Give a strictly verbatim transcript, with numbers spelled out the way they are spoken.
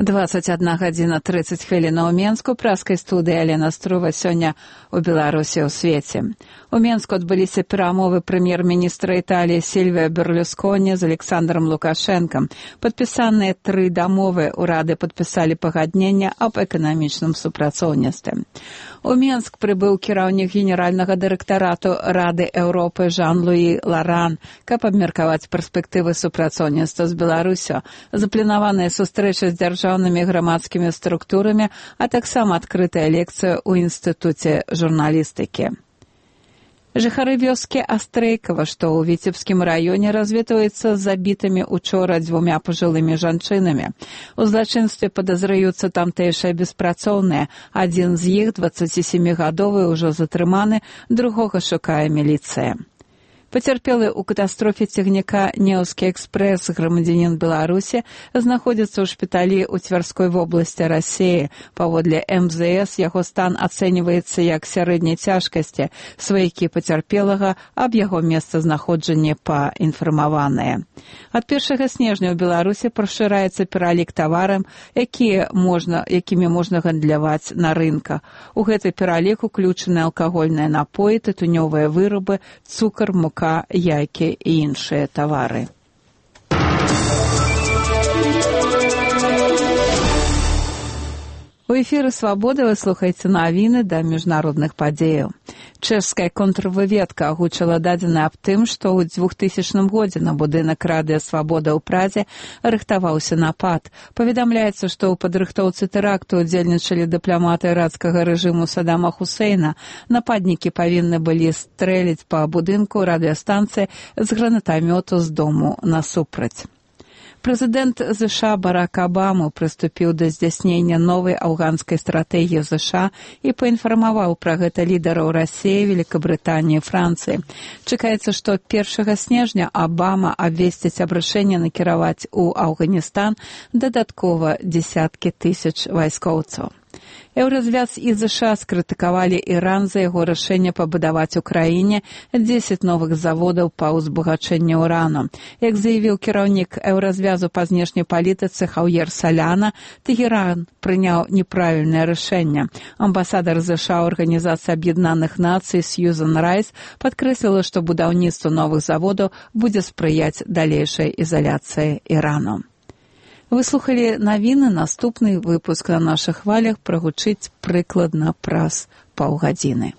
двадцать одна гадзіна тридцать хвілін у Менску. Праскай студыі Алена Струва. Сёння у Беларусі ў свеце. У Менску адбыліся перамовы прэм'ер-міністра Італіі Сільвіа Берлусконі з Александром Лукашэнкам. Падпісаныя тры дамовы. Урады падпісалі пагаднення аб эканамічным супрацоўніцтве. У Менск прыбыў кіраўнік генеральнага дырэктарату Рады Еўропы Жан-Луі Ларан, каб абмеркаваць перспектывы супрацоўніцтва з Беларусю. Запланаваная сустрэча з дзяржаўнымі грамадскімі структурамі, а таксама адкрытая лекцыя ў інстытуце журналістыкі. Жыхары вёскі Астрейкава, што ў Віцебскім раёне, развітваюцца з забітымі учора дзвюма пажылымі жанчынамі. У злачынстве падазраюцца тамтэйшыя беспрацоўныя. Адзін з іх, дваццацісямігадовы, ужо затрыманы, другога шукае міліцыя. Пацярпелы ў катастрофе цягніка «Неўскі экспрэс» грамадзянін Беларусі знаходзіцца ў шпіталі ў Цвярской вобласці Расіі. Паводле эм зэ эс яго стан ацэньваецца як сярэдняй цяжкасці. Сваякі пацярпелага аб яго месцазнаходжанні паінфармаваныя. Ад першага снежня ў Беларусі пашыраецца пералік тавараў, якія можна, якімі можна гандляваць на рынках. У гэты пералік уключаны алкагольныя напоі, тытунёвыя вырабы, цукар, мука, яйкі і іншыя тавары. У эфіры «Свабода» вы слухаеце навіны да міжнародных падзеяў. Чэшская контрвыведка агучыла дадзены аб тым, што ў двухтысячным годзе на будынак Радыё Свабода ў Прадзе рыхтаваўся напад. Паведамляецца, што ў падрыхтоўцы тэракту удзельнічалі дыпламаты ірацкага рэжыму Саддама Хусейна. Нападнікі павінны былі стрэліць па будынку радыёстанцыі з гранатамёту з дому насупраць. Прэзідэнт ЗША Барак Абама прыступіў да здзяйснення новай афганскай стратэгіі ЗША і паінфармаваў пра гэта лідараў Расіі, Великабрытаніі, Францыі. Чакаецца, што першага снежня Абама абвесціць аб рашэнні накіраваць у Афганістан дадаткова дзесяткі тысяч вайскоўцаў. Еўразвяз і ЗША скрытыкавалі Іран за яго рашэнне пабудаваць у краіне дзесяць новых заводаў па ўзбагачэнню ўрану. Як заявіў кіраўнік Еўразвязу па знешняй палітыцы Хаўер Саляна, Тэгеран прыняў неправільнае рашэнне. Амбасадар ЗША ў Арганізацыі Аб'яднаных Нацый Сьюзан Райс падкрэсліла, што будаўніцтву новых заводаў будзе спрыяць далейшай ізаляцыі Ірану. Вы слухалі навіны, наступны выпуск на нашых хвалях прагучыць прыкладна праз паўгадзіны.